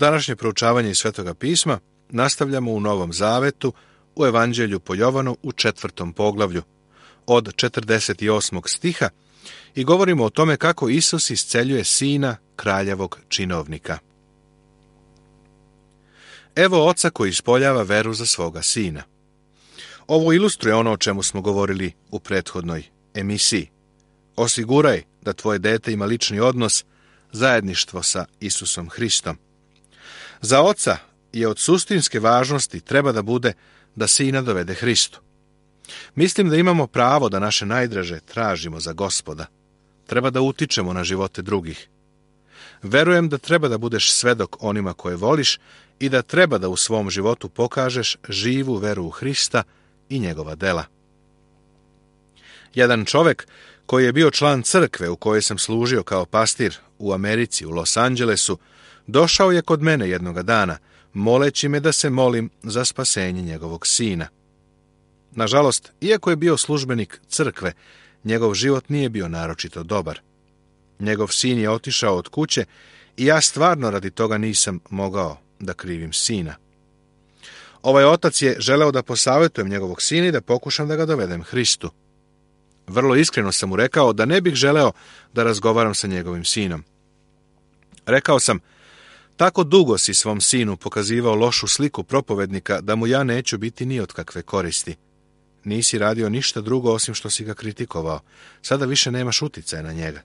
Današnje proučavanje iz Svetoga pisma nastavljamo u Novom Zavetu, u Evanđelju po Jovanu u 4. poglavlju, od 48. stiha, i govorimo o tome kako Isus isceljuje sina kraljevog činovnika. Evo oca koji ispoljava veru za svoga sina. Ovo ilustruje ono o čemu smo govorili u prethodnoj emisiji. Osiguraj da tvoje dete ima lični odnos, zajedništvo sa Isusom Hristom. Za oca je od suštinske važnosti treba da bude da sina dovede Hristu. Mislim da imamo pravo da naše najdraže tražimo za Gospoda. Treba da utičemo na živote drugih. Verujem da treba da budeš svedok onima koje voliš i da treba da u svom životu pokažeš živu veru u Hrista i njegova dela. Jedan čovek koji je bio član crkve u kojoj sam služio kao pastir u Americi, u Los Angelesu, došao je kod mene jednoga dana, moleći me da se molim za spasenje njegovog sina. Nažalost, iako je bio službenik crkve, njegov život nije bio naročito dobar. Njegov sin je otišao od kuće i ja stvarno radi toga nisam mogao da krivim sina. Ovaj otac je želeo da posavjetujem njegovog sina i da pokušam da ga dovedem Hristu. Vrlo iskreno sam mu rekao da ne bih želeo da razgovaram sa njegovim sinom. Rekao sam, tako dugo si svom sinu pokazivao lošu sliku propovednika da mu ja neću biti ni od kakve koristi. Nisi radio ništa drugo osim što si ga kritikovao. Sada više nemaš uticaja na njega.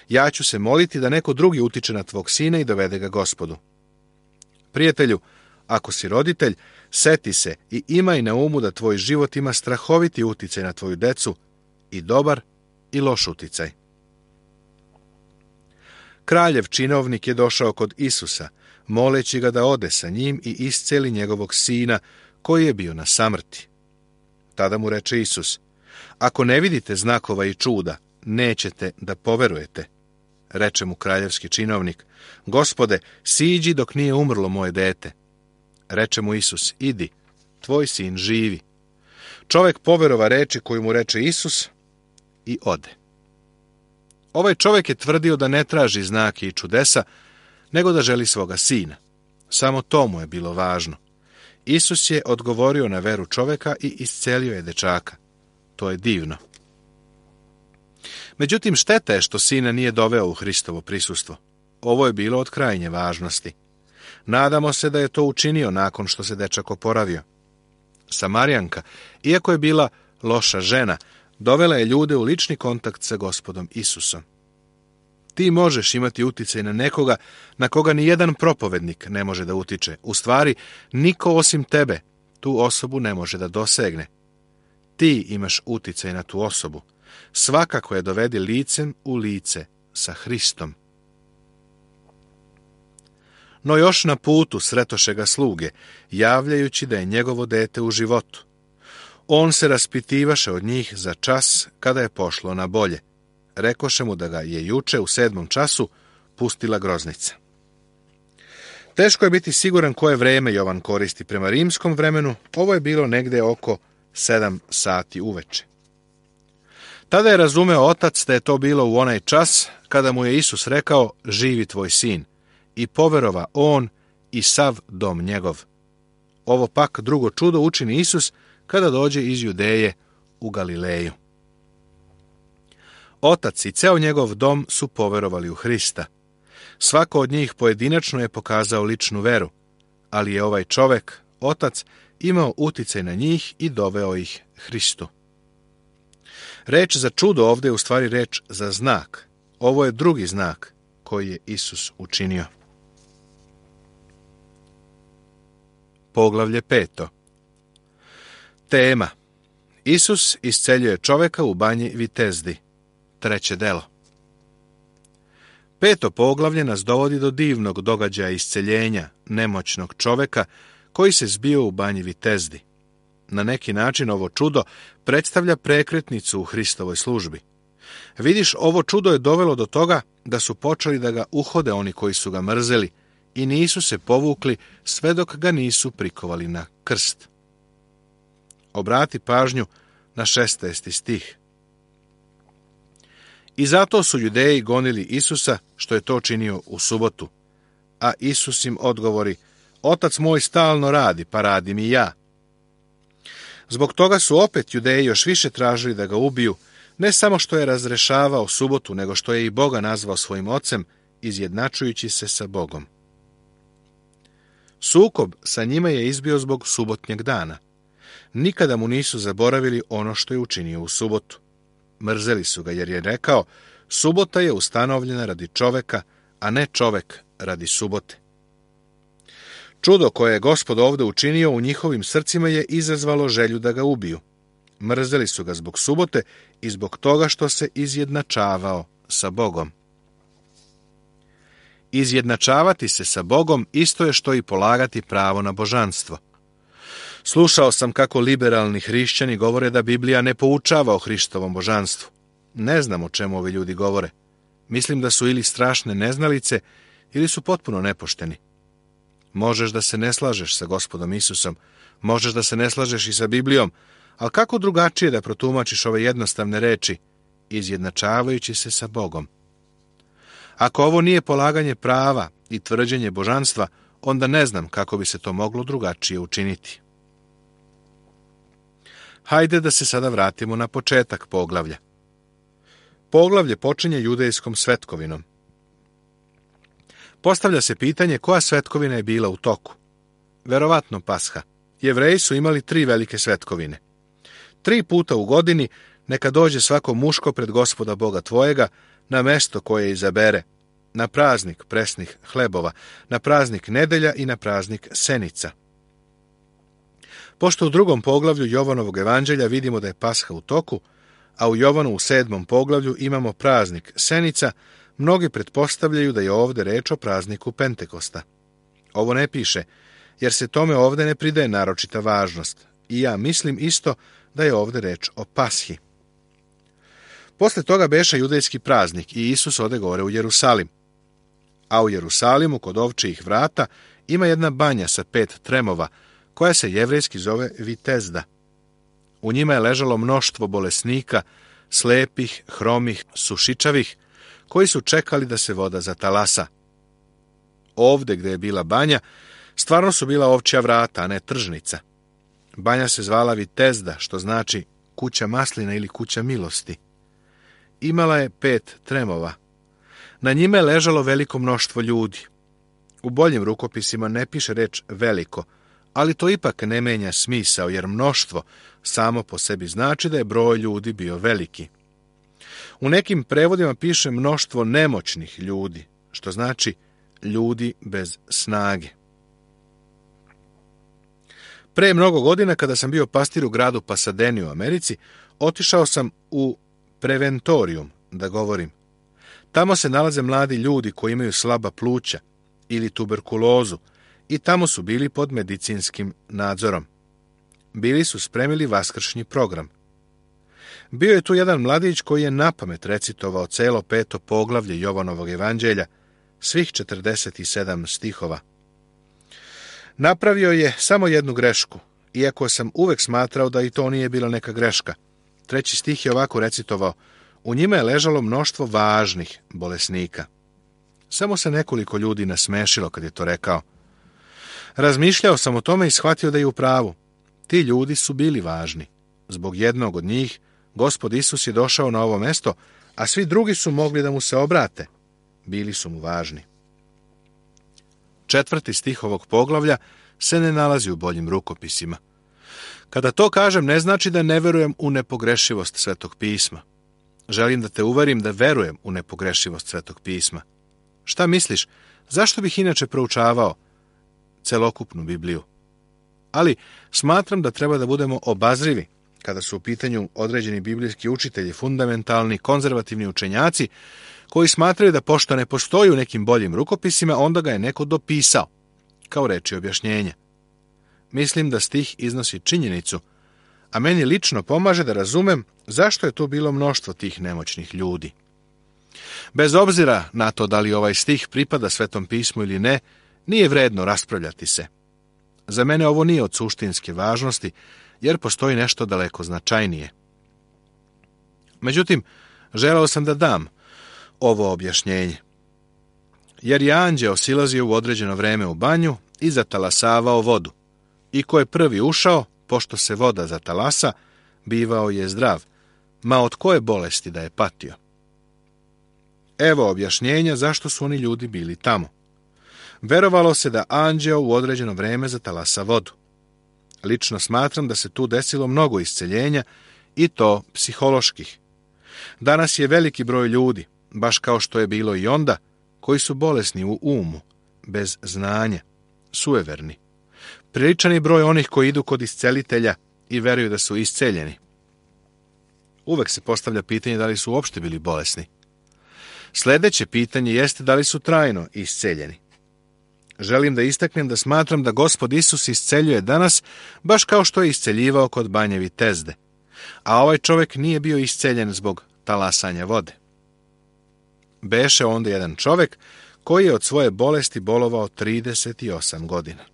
Ja ću se moliti da neko drugi utiče na tvog sina i dovede ga Gospodu. Prijatelju, ako si roditelj, seti se i imaj na umu da tvoj život ima strahoviti uticaj na tvoju decu, i dobar i loš uticaj. Kraljev činovnik je došao kod Isusa, moleći ga da ode sa njim i isceli njegovog sina, koji je bio na samrti. Tada mu reče Isus, ako ne vidite znakova i čuda, nećete da poverujete. Reče mu kraljevski činovnik, Gospode, siđi dok nije umrlo moje dete. Reče mu Isus, idi, tvoj sin živi. Čovek poverova reči koju mu reče Isus i ode. Ovaj čovek je tvrdio da ne traži znake i čudesa, nego da želi svoga sina. Samo to mu je bilo važno. Isus je odgovorio na veru čoveka i iscelio je dečaka. To je divno. Međutim, šteta je što sina nije doveo u Hristovo prisustvo. Ovo je bilo od krajnje važnosti. Nadamo se da je to učinio nakon što se dečak oporavio. Samarijanka, iako je bila loša žena, dovela je ljude u lični kontakt sa Gospodom Isusom. Ti možeš imati uticaj na nekoga na koga ni jedan propovednik ne može da utiče. U stvari, niko osim tebe tu osobu ne može da dosegne. Ti imaš uticaj na tu osobu. Svakako je dovedi licem u lice sa Hristom. No još na putu sretoše ga sluge, javljajući da je njegovo dete u životu. On se raspitivaše od njih za čas kada je pošlo na bolje. Rekoše mu da ga je juče u 7. času pustila groznica. Teško je biti siguran koje vreme Jovan koristi. Prema rimskom vremenu ovo je bilo negde oko 7 sati uveče. Tada je razumeo otac da je to bilo u onaj čas kada mu je Isus rekao, živi tvoj sin, i poverova on i sav dom njegov. Ovo pak drugo čudo učini Isus kada dođe iz Judeje u Galileju. Otac i ceo njegov dom su poverovali u Hrista. Svako od njih pojedinačno je pokazao ličnu veru, ali je ovaj čovek, otac, imao uticaj na njih i doveo ih Hristu. Reč za čudo ovdje je u stvari reč za znak. Ovo je drugi znak koji je Isus učinio. Poglavlje 5. Tema. Isus isceljuje čoveka u banji Vitezdi. 3. delo. 5. poglavlje nas dovodi do divnog događaja isceljenja nemoćnog čoveka koji se zbio u banji Vitezdi. Na neki način ovo čudo predstavlja prekretnicu u Hristovoj službi. Vidiš, ovo čudo je dovelo do toga da su počeli da ga uhode oni koji su ga mrzeli i nisu se povukli sve dok ga nisu prikovali na krst. Obrati pažnju na 16. stih. I zato su Judeji gonili Isusa što je to činio u subotu, a Isus im odgovori: Otac moj stalno radi, pa radim i ja. Zbog toga su opet Judeji još više tražili da ga ubiju, ne samo što je razrešavao subotu, nego što je i Boga nazvao svojim ocem, izjednačujući se sa Bogom. Sukob sa njima je izbio zbog subotnjeg dana. Nikada mu nisu zaboravili ono što je učinio u subotu. Mrzeli su ga jer je rekao: subota je ustanovljena radi čoveka, a ne čovek radi subote. Čudo koje je Gospod ovdje učinio u njihovim srcima je izazvalo želju da ga ubiju. Mrzeli su ga zbog subote i zbog toga što se izjednačavao sa Bogom. Izjednačavati se sa Bogom isto je što i polagati pravo na božanstvo. Slušao sam kako liberalni hrišćani govore da Biblija ne poučava o Hristovom božanstvu. Ne znam o čemu ovi ljudi govore. Mislim da su ili strašne neznalice, ili su potpuno nepošteni. Možeš da se ne slažeš sa Gospodom Isusom, možeš da se ne slažeš i sa Biblijom, ali kako drugačije da protumačiš ove jednostavne reči, izjednačavajući se sa Bogom? Ako ovo nije polaganje prava i tvrđenje božanstva, onda ne znam kako bi se to moglo drugačije učiniti. Hajde da se sada vratimo na početak poglavlja. Poglavlje počinje judejskom svetkovinom. Postavlja se pitanje koja svetkovina je bila u toku. Verovatno Pasha. Jevreji su imali 3 velike svetkovine. 3 puta u godini neka dođe svako muško pred Gospoda Boga tvojega na mesto koje izabere, na praznik presnih hlebova, na praznik nedelja i na praznik senica. Pošto u 2. poglavlju Jovanovog evanđelja vidimo da je Pasha u toku, a u Jovanu u 7. poglavlju imamo praznik senica, mnogi pretpostavljaju da je ovdje reč o prazniku Pentekosta. Ovo ne piše, jer se tome ovdje ne pridaje naročita važnost, i ja mislim isto da je ovdje reč o Pashi. Posle toga beše judejski praznik i Isus ode gore u Jerusalim. A u Jerusalimu, kod ovčijih vrata, ima jedna banja sa 5 tremova, koja se jevrejski zove Vitezda. U njima je ležalo mnoštvo bolesnika, slepih, hromih, sušičavih, koji su čekali da se voda zatalasa. Ovde gde je bila banja, stvarno su bila ovčja vrata, a ne tržnica. Banja se zvala Vitezda, što znači kuća maslina ili kuća milosti. Imala je 5 tremova. Na njima je ležalo veliko mnoštvo ljudi. U boljim rukopisima ne piše reč veliko, ali to ipak ne menja smisao, jer mnoštvo samo po sebi znači da je broj ljudi bio veliki. U nekim prevodima piše mnoštvo nemoćnih ljudi, što znači ljudi bez snage. Pre mnogo godina, kada sam bio pastir u gradu Pasadeni u Americi, otišao sam u preventorijum, da govorim. Tamo se nalaze mladi ljudi koji imaju slaba pluća ili tuberkulozu i tamo su bili pod medicinskim nadzorom. Bili su spremili vaskršnji program. Bio je tu jedan mladić koji je napamet recitovao celo 5. poglavlje Jovanovog evanđelja, svih 47 stihova. Napravio je samo jednu grešku, iako sam uvek smatrao da i to nije bila neka greška. 3. stih je ovako recitovao: u njima je ležalo mnoštvo važnih bolesnika. Samo se nekoliko ljudi nasmešilo kad je to rekao. Razmišljao sam o tome i shvatio da je u pravu. Ti ljudi su bili važni. Zbog jednog od njih Gospod Isus je došao na ovo mesto, a svi drugi su mogli da mu se obrate. Bili su mu važni. 4. stih ovog poglavlja se ne nalazi u boljim rukopisima. Kada to kažem, ne znači da ne verujem u nepogrešivost Svetog pisma. Želim da te uverim da verujem u nepogrešivost Svetog pisma. Šta misliš, zašto bih inače proučavao celokupnu Bibliju? Ali smatram da treba da budemo obazrivi kada su u pitanju određeni biblijski učitelji, fundamentalni, konzervativni učenjaci, koji smatraju da pošto ne postoji u nekim boljim rukopisima, onda ga je neko dopisao, kao reči objašnjenja. Mislim da stih iznosi činjenicu, a meni lično pomaže da razumem zašto je tu bilo mnoštvo tih nemoćnih ljudi. Bez obzira na to da li ovaj stih pripada Svetom pismu ili ne, nije vredno raspravljati se. Za mene ovo nije od suštinske važnosti, jer postoji nešto daleko značajnije. Međutim, želeo sam da dam ovo objašnjenje. jer je anđeo silazio u određeno vreme u banju i zatalasavao vodu. I ko je prvi ušao, pošto se voda zatalasa, bivao je zdrav, ma od koje bolesti da je patio. Evo objašnjenja zašto su oni ljudi bili tamo. Verovalo se da anđeo u određeno vreme zatalasa vodu. Lično smatram da se tu desilo mnogo isceljenja, i to psiholoških. Danas je veliki broj ljudi, baš kao što je bilo i onda, koji su bolesni u umu, bez znanja, sueverni. Priličan je broj onih koji idu kod iscelitelja i veruju da su isceljeni. Uvek se postavlja pitanje da li su uopšte bili bolesni. Sljedeće pitanje jeste da li su trajno isceljeni. Želim da istaknem da smatram da Gospod Isus isceljuje danas baš kao što je isceljivao kod banje Vitezde, a ovaj čovjek nije bio isceljen zbog talasanja vode. Beše onda jedan čovjek koji je od svoje bolesti bolovao 38 godina.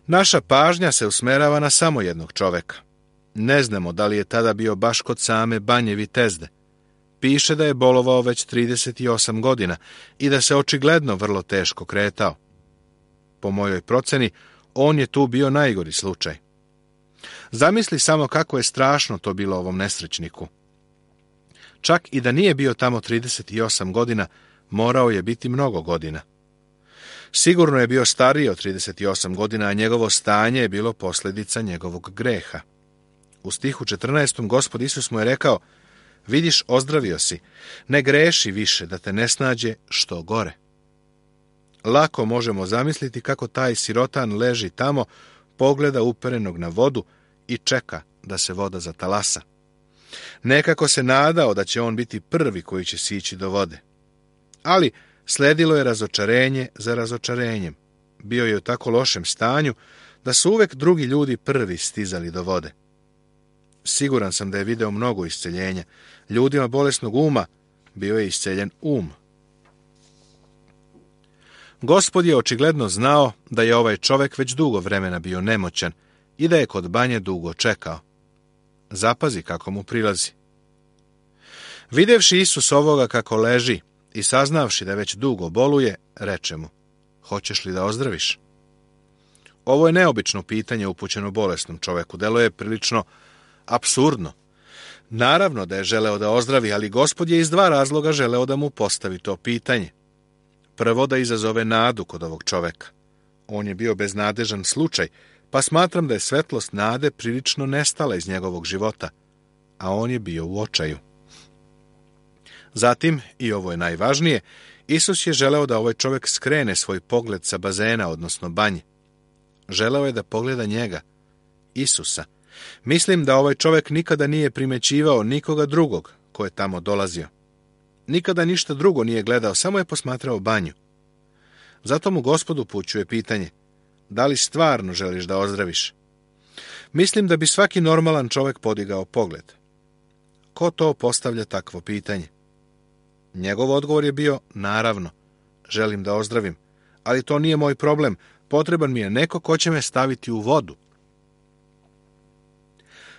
Naša pažnja se usmerava na samo jednog čovjeka. Ne znamo da li je tada bio baš kod same banje Vitezde. Piše da je bolovao već 38 godina i da se očigledno vrlo teško kretao. Po mojoj proceni, on je tu bio najgori slučaj. Zamisli samo kako je strašno to bilo ovom nesrećniku. Čak i da nije bio tamo 38 godina, morao je biti mnogo godina. Sigurno je bio stariji od 38 godina, a njegovo stanje je bilo posljedica njegovog greha. U stihu 14. Gospod Isus mu je rekao: vidiš, ozdravio si, ne greši više da te ne snađe što gore. Lako možemo zamisliti kako taj sirotan leži tamo, pogleda uperenog na vodu i čeka da se voda zatalasa. Nekako se nadao da će on biti prvi koji će sići do vode. Ali sledilo je razočarenje za razočarenjem. Bio je u tako lošem stanju da su uvek drugi ljudi prvi stizali do vode. Siguran sam da je video mnogo isceljenja. Ljudima bolesnog uma bio je isceljen um. Gospod je očigledno znao da je ovaj čovjek već dugo vremena bio nemoćan i da je kod banje dugo čekao. Zapazi kako mu prilazi. Videvši Isus ovoga kako leži i saznavši da već dugo boluje, reče mu: hoćeš li da ozdraviš? Ovo je neobično pitanje upućeno bolesnom čovjeku. Delo je prilično apsurdno. Naravno da je želeo da ozdravi, ali Gospod je iz dva razloga želeo da mu postavi to pitanje. Prvo, da izazove nadu kod ovog čovjeka. On je bio beznadežan slučaj, pa smatram da je svetlost nade prilično nestala iz njegovog života, a on je bio u očaju. Zatim, i ovo je najvažnije, Isus je želeo da ovaj čovjek skrene svoj pogled sa bazena, odnosno banje. Želeo je da pogleda njega, Isusa. Mislim da ovaj čovjek nikada nije primećivao nikoga drugog ko je tamo dolazio. Nikada ništa drugo nije gledao, samo je posmatrao banju. Zato mu Gospod upućuje pitanje: da li stvarno želiš da ozdraviš? Mislim da bi svaki normalan čovjek podigao pogled. Ko to postavlja takvo pitanje? Njegov odgovor je bio: naravno, želim da ozdravim, ali to nije moj problem, potreban mi je neko ko će me staviti u vodu.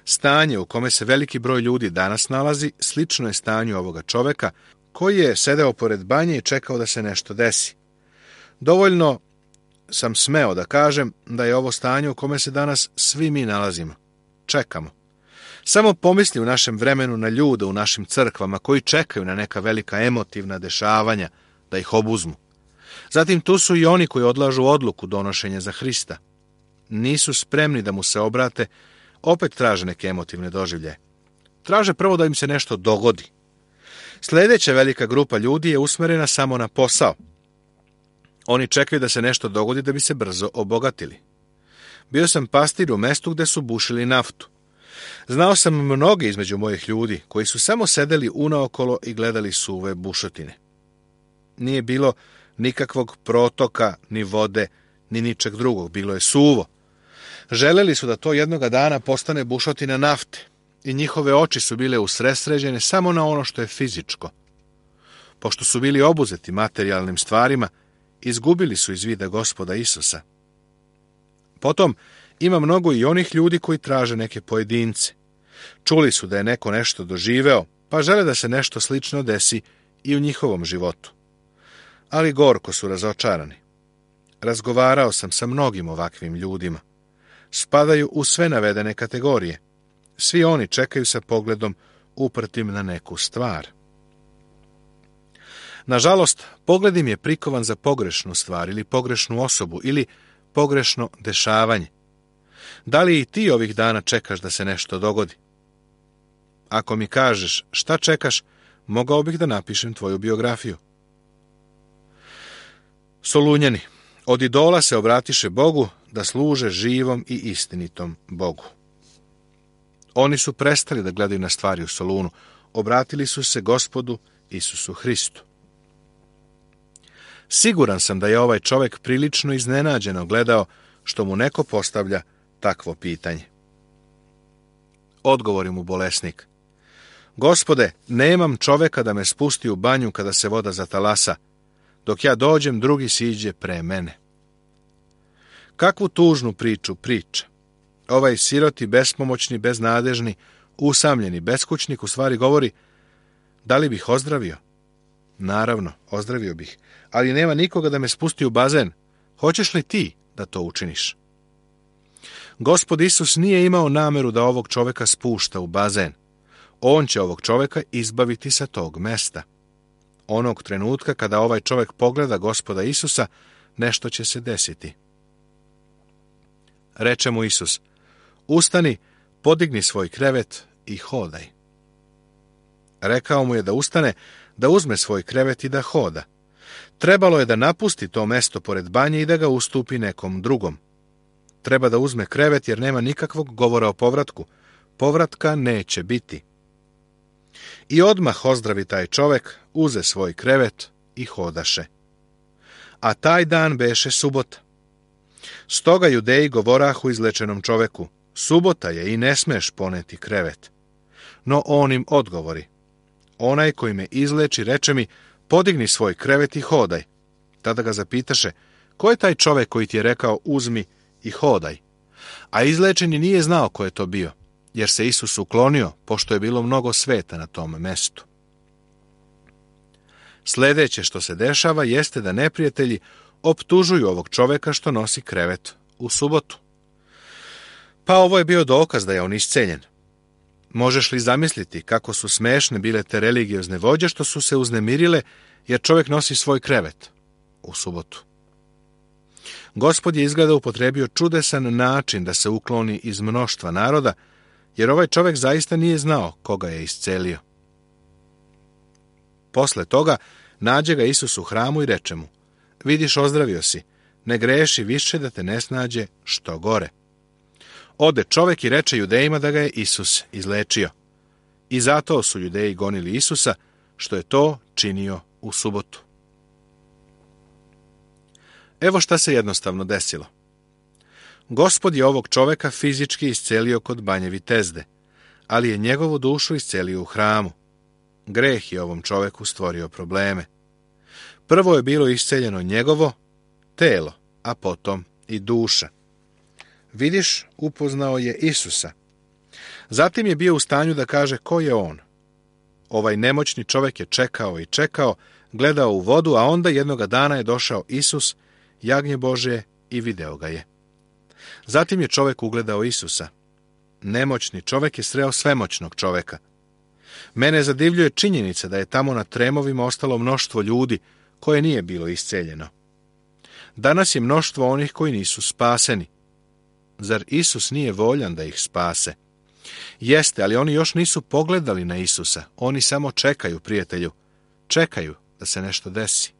Stanje u kome se veliki broj ljudi danas nalazi slično je stanju ovoga čovjeka koji je sedeo pored banje i čekao da se nešto desi. Dovoljno sam smeo da kažem da je ovo stanje u kome se danas svi mi nalazimo. Čekamo. Samo pomisli u našem vremenu na ljude u našim crkvama koji čekaju na neka velika emotivna dešavanja da ih obuzmu. Zatim tu su i oni koji odlažu odluku donošenja za Hrista. Nisu spremni da mu se obrate, opet traže neke emotivne doživljaje. Traže prvo da im se nešto dogodi. Sljedeća velika grupa ljudi je usmerena samo na posao. Oni čekaju da se nešto dogodi da bi se brzo obogatili. Bio sam pastir u mestu gde su bušili naftu. Znao sam mnoge između mojih ljudi koji su samo sedeli unaokolo i gledali suve bušotine. Nije bilo nikakvog protoka, ni vode, ni ničeg drugog. Bilo je suvo. Želeli su da to jednoga dana postane bušotina nafte i njihove oči su bile usredsređene samo na ono što je fizičko. Pošto su bili obuzeti materijalnim stvarima, izgubili su iz vida Gospoda Isusa. Potom ima mnogo i onih ljudi koji traže neke pojedince. Čuli su da je neko nešto doživeo, pa žele da se nešto slično desi i u njihovom životu. ali gorko su razočarani. Razgovarao sam sa mnogim ovakvim ljudima. Spadaju u sve navedene kategorije. Svi oni čekaju sa pogledom uprtim na neku stvar. Nažalost, pogled im je prikovan za pogrešnu stvar ili pogrešnu osobu ili pogrešno dešavanje. Da li i ti ovih dana čekaš da se nešto dogodi? Ako mi kažeš šta čekaš, mogao bih da napišem tvoju biografiju. Solunjani, od idola se obratiše Bogu da služe živom i istinitom Bogu. Oni su prestali da gledaju na stvari u Solunu, obratili su se Gospodu Isusu Hristu. Siguran sam da je ovaj čovjek prilično iznenađeno gledao što mu neko postavlja takvo pitanje. Odgovori mu bolesnik: Gospode, nemam čoveka da me spusti u banju kada se voda zatalasa. Dok ja dođem, drugi siđe pre mene. Kakvu tužnu priču priča. Ovaj siroti, bespomoćni, beznadežni, usamljeni beskućnik u stvari govori: da li bih ozdravio? Naravno, ozdravio bih, ali nema nikoga da me spusti u bazen. Hoćeš li ti da to učiniš? Gospod Isus nije imao nameru da ovog čoveka spušta u bazen. On će ovog čoveka izbaviti sa tog mesta. Onog trenutka kada ovaj čovek pogleda Gospoda Isusa, nešto će se desiti. Reče mu Isus: ustani, podigni svoj krevet i hodaj. Rekao mu je da ustane, da uzme svoj krevet i da hoda. Trebalo je da napusti to mesto pored banje i da ga ustupi nekom drugom. Treba da uzme krevet jer nema nikakvog govora o povratku. Povratka neće biti. I odmah ozdravi taj čovek, uze svoj krevet i hodaše. A taj dan beše subota. Stoga Judeji govorahu izlečenom čoveku: subota je i ne smeš poneti krevet. No on im odgovori: onaj koji me izleči reče mi: podigni svoj krevet i hodaj. Tada ga zapitaše: ko je taj čovek koji ti je rekao uzmi i hodaj? A izlečeni nije znao ko je to bio, jer se Isus uklonio, pošto je bilo mnogo sveta na tom mestu. Sljedeće što se dešava jeste da neprijatelji optužuju ovog čoveka što nosi krevet u subotu. Pa ovo je bio dokaz da je on isceljen. Možeš li zamisliti kako su smešne bile te religiozne vođe što su se uznemirile jer čovjek nosi svoj krevet u subotu? Gospod je izgleda upotrebio čudesan način da se ukloni iz mnoštva naroda, jer ovaj čovjek zaista nije znao koga je iscelio. Posle toga nađe ga Isus u hramu i reče mu: vidiš, ozdravio si, ne greši više da te ne snađe što gore. Ode čovjek i reče Judejima da ga je Isus izlečio. I zato su Judeji gonili Isusa, što je to činio u subotu. Evo šta se jednostavno desilo. Gospod je ovog čoveka fizički iscelio kod banje Vitezde, ali je njegovu dušu iscelio u hramu. Greh je ovom čoveku stvorio probleme. Prvo je bilo isceljeno njegovo telo, a potom i duša. Vidiš, upoznao je Isusa. Zatim je bio u stanju da kaže ko je on. Ovaj nemoćni čovjek je čekao i čekao, gledao u vodu, a onda jednoga dana je došao Isus, jagnje Božje, i video ga je. Zatim je čovjek ugledao Isusa. Nemoćni čovjek je sreo svemoćnog čovjeka. Mene zadivljuje činjenica da je tamo na tremovima ostalo mnoštvo ljudi koje nije bilo isceljeno. Danas je mnoštvo onih koji nisu spaseni. Zar Isus nije voljan da ih spase? Jeste, ali oni još nisu pogledali na Isusa. Oni samo čekaju, prijatelju. Čekaju da se nešto desi.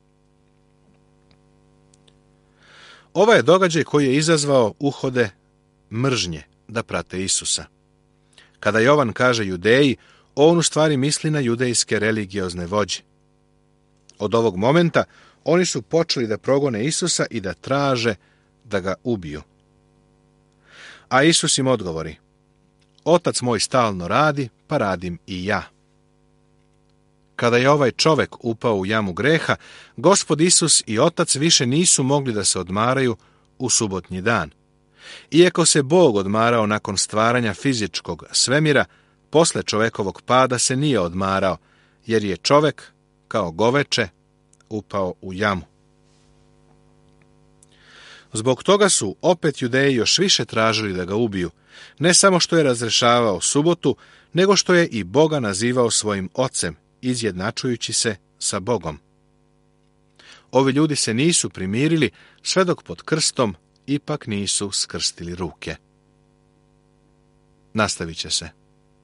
Ovaj je događaj koji je izazvao uhode mržnje da prate Isusa. Kada Jovan kaže Judeji, on u stvari misli na judejske religiozne vođe. Od ovog momenta oni su počeli da progone Isusa i da traže da ga ubiju. A Isus im odgovori: Otac moj stalno radi, pa radim i ja. Kada je ovaj čovek upao u jamu greha, Gospod Isus i Otac više nisu mogli da se odmaraju u subotnji dan. Iako se Bog odmarao nakon stvaranja fizičkog svemira, posle čovekovog pada se nije odmarao, jer je čovek kao goveče, upao u jamu. Zbog toga su opet Judeji još više tražili da ga ubiju, ne samo što je razrešavao subotu, nego što je i Boga nazivao svojim ocem, izjednačujući se sa Bogom. Ovi ljudi se nisu primirili sve dok pod krstom ipak nisu skrstili ruke. Nastavit će se.